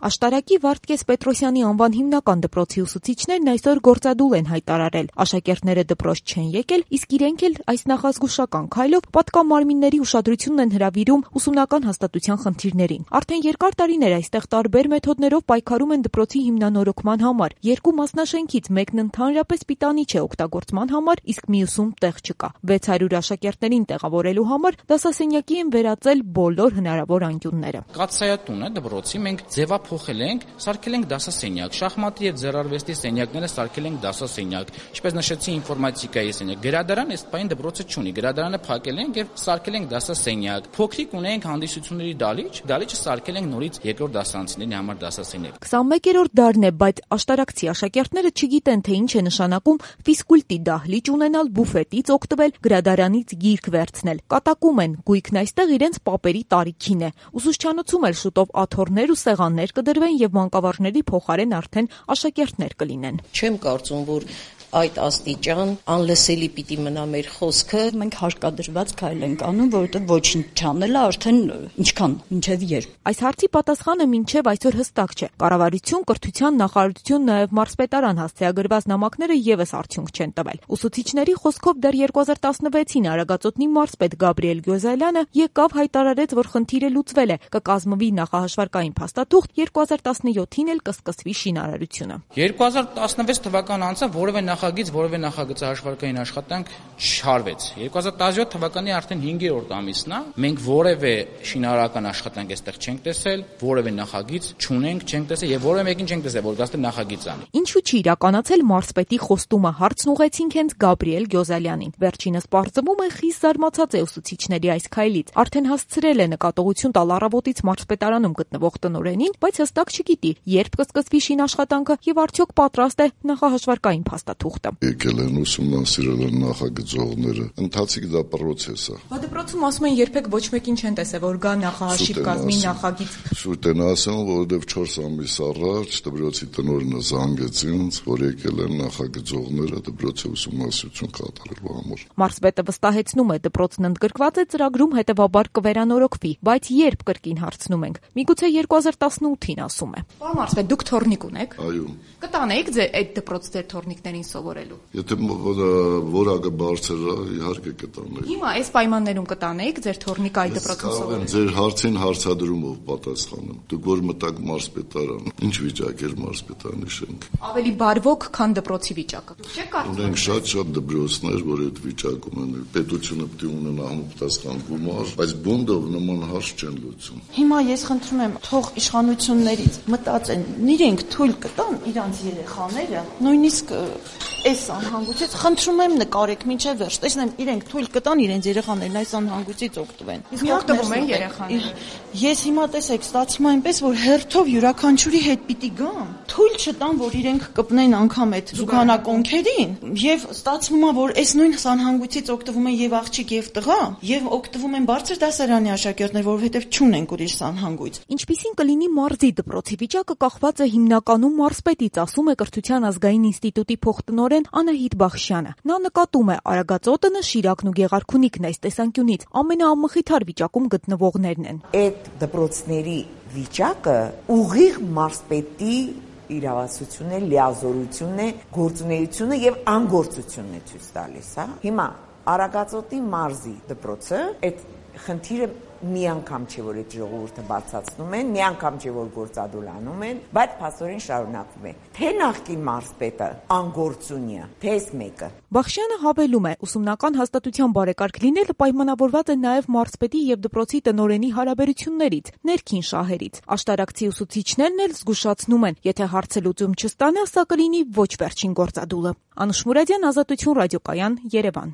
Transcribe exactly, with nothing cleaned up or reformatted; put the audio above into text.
Աշտարակի Վարդգես Պետրոսյանի անվան հիմնական դպրոցի ուսուցիչներն այսօր գործադուլ են հայտարարել։ Աշակերտները դպրոց չեն եկել, իսկ իրենք էլ այս նախազգուշական քայլով պատկամարմինների ուշադրությունն են հրավիրում ուսումնական հաստատության խնդիրներին։ Արդեն երկար տարիներ այստեղ տարբեր մեթոդներով պայքարում են դպրոցի հիմնանորոգման համար։ Երկու մասնաշենքից մեկն ընդհանրապես պիտանի չէ օգտագործման համար, իսկ մյուսում տեղ չկա։ վեց հարյուր աշակերտներին տեղավորելու համար դասասենյակի են վերածել բոլոր հնարավոր անկյունները։ Կաթսայատուն է դպրոցի, մենք ձևափոխել ենք, սարքել ենք դասասենյակ, շախմատի եւ ձեռարվեստի սենյակները սարքել ենք դասասենյակ, ինչպես նշեցի ինֆորմատիկայի սենյակ։ Գրադարան այս պայն դպրոցը չունի, գրադարանը փակել ենք եւ սարքել ենք դասասենյակ։ Փոքրիկ ունենք հանդիսությունների դալիճ, դալիճը սարքել ենք նորից երկրորդ դասարանցիների համար դասասենյակ։ քսանմեկերորդ դարն է, բայց աշտարակցի աշակերտները չգիտեն, թե ինչ է նշանակում ֆիզկուլտի դահլիճ ունենալ, բուֆետից օգտվել, գրադարանից գիրք վերցնել։ Կատակում են, գույքն այստեղ իրենց պապերի տարիքին է։ Ուսուցչանոցում էլ շուտով աթոռներ ու սեղաններ կդրվեն եւ մանկավարժների փոխարեն արդեն աշակերտներ կլինեն։ Չեմ կարծում, որ այդ աստիճան անլսելի պիտի մնա մեր խոսքը։ Մենք հարկադրված քայլ ենք անում, որովհետեւ ոչինչ չանելը արդեն ինչքան, մինչեւ երբ։ Այս հարցի պատասխանը մինչեւ այսօր հստակ չէ։ Կառավարություն, կրթության նախարարություն, նաեւ մարզպետարան հասցեագրված նամակները եւս արդյունք չեն տվել։ Ուսուցիչների խոսքով դեռ երկու հազար տասնվեցին Արագածոտնի մարզպետ Գաբրիել Գյոզալյանը եկավ, հայտարարեց, որ խնդիրը լուծվել է, կկազմվի նախահաշվարկային փաստաթուղթ, երկու հազար տասնյոթին էլ կսկսվի շինարարությունը։ երկու հազար տասնվեց թվական անցավ, որևէ նախագիծ, որևէ նախագծահաշվարկային աշխատանք չարվեց։ երկու հազար տասնյոթ թվականի արդեն հինգերորդ ամիսն է, մենք որևէ շինարարական աշխատանք այստեղ չենք տեսել, որևէ նախագիծ չունենք, չենք տեսել եւ որևէ մեկին չենք տեսել, որ գաստե նախագիծ անի։ Ինչու՞ չի իրականացել մարզպետի խոստումը, հարցն ուղեցինք հենց Գաբրիել Գյոզալյանին։ Վերջինս պարզվում է խիստ զարմացած է ուսուցիչների այս քայլից։ Արդեն հասցրել է նկատողություն տալ առավոտից մարզպետարանում գտնվող տնօրենին, բայց հստակ չգիտի, երբ կսկսվի շինաշխատանքը եւ արդյոք պատրաստ է նախահաշվարկային փաստաթուղթը։ Եկել են ուսումնասիրել են նախագծողները, ընթացիկ դա պրոցես է։ Բա դպրոցում ասում են երբեք ոչ մեկին չեն տեսել, որ գա նախահաշիվ կազմի նախագիծ։ Շուտ են ասում, որովհետեւ չորս ամիս առաջ դպրոցի տնօրենը զանգեց ինձ, որ եկել են նախագծողները դպրոցի ուսումնասիրություն կատարելու համար։ Մարզպետը վստահեցնում է, դպրոցն ընդգրկված է ծրագրում, հետևաբար կվերանորոգվի, բայց երբ կրկին հարցնում ենք։ Միգուցե երկու հազար տասնութին ասում է։ Պարոն մարզպետ, դուք թորնիկ ունեք։ Այո։ Կտանեիք ձեր այդ դպրոց ձեր թորնիկներին սովորելու։ Եթե որակը բարձր է, իհարկե կտանեի։ Հիմա այս պայմաններում կտանեիք ձեր թորնիկը այդ դպրոցում սովորելու։ Ձեր հարցին հարցադրումով պատասխանեմ։ Դուք որ մտաք մարզպետարան, ինչ վիճակ էր մարզպետարանի շենքը։ Ավելի բարվոք, քան դպրոցի վիճակը։ Չէ՞ կարծում։ Ունենք շատ-շատ դպրոցներ, որ այդ վիճակում են։ Պետությունը պետք է ունենա համապատասխան գումար, բայց բոնդով նման հարց չեն լուծում։ Հիմա ես խնդրում եմ, թող իշխանություններից մտածեն, իրենք թույլ կտան իրանց երեխաները, նույնիսկ այս անհանգույցից խնդրում եմ նկարեք մինչև վերջ, տեսնեմ իրենք թույլ կտան իրենց երեխաներն այս անհանգույցից օգտվեն։ Իսկ օգտվում են երեխաները։ Ես հիմա տեսեք, ստացվում է այնպես, որ հերթով յուրաքանչյուրի հետ պիտի գամ, թույլ չտան, որ իրենք կպնեն անգամ այդ զուգանակոնքերին, եւ ստացվում է, որ այս նույն անհանգույցից օգտվում են եւ աղջիկ եւ տղա, եւ օգտվում են բարձր դասարանի աշակերտներ, որովհետեւ չունեն ուրիշ անհանգույց։ Ինչպիսին կլինի մարզի դպրոցի վիճակը կախված է հիմնականում մարզպետից, ասում է Կրթության ազգային ինստիտուտի փոխտնօրեն Անահիտ Բախշյանը։ Նա նկատում է Արագածոտնը, Շիրակն ու Գեղարքունիքն այս տեսանկյունից ամենաամխիթար վիճակում գտնվողներն են։ Այդ դպրոցների վիճակը ուղիղ մարզպետի իրավասությունն է, լիազորությունն է, գործունեությունը եւ անգործությունն է ցույց տալիս, հա։ Հիմա Արագածոտնի մարզի դպրոցը այդ խնդիրը մի անգամ չէ, որ այդ ժողովուրդը բացացնում են, մի անգամ չէ, որ գործադուլ անում են, բայց փաստորեն շարունակվում է։ Թե նախկին մարզպետը անգործունյա, թե այս մեկը։ Բախշյանը հավելում է, ուսումնական հաստատության բարեկարգ լինելը պայմանավորված է նաև մարզպետի եւ դպրոցի տնօրենի հարաբերություններից, ներքին շահերից։ Աշտարակցի ուսուցիչներն էլ զգուշացնում են, եթե հարցը լուծում չստանա, սա կլինի ոչ վերջին գործադուլը։ Անուշ Մուրադյան, Ազատություն ռադիոկայան, Երևան։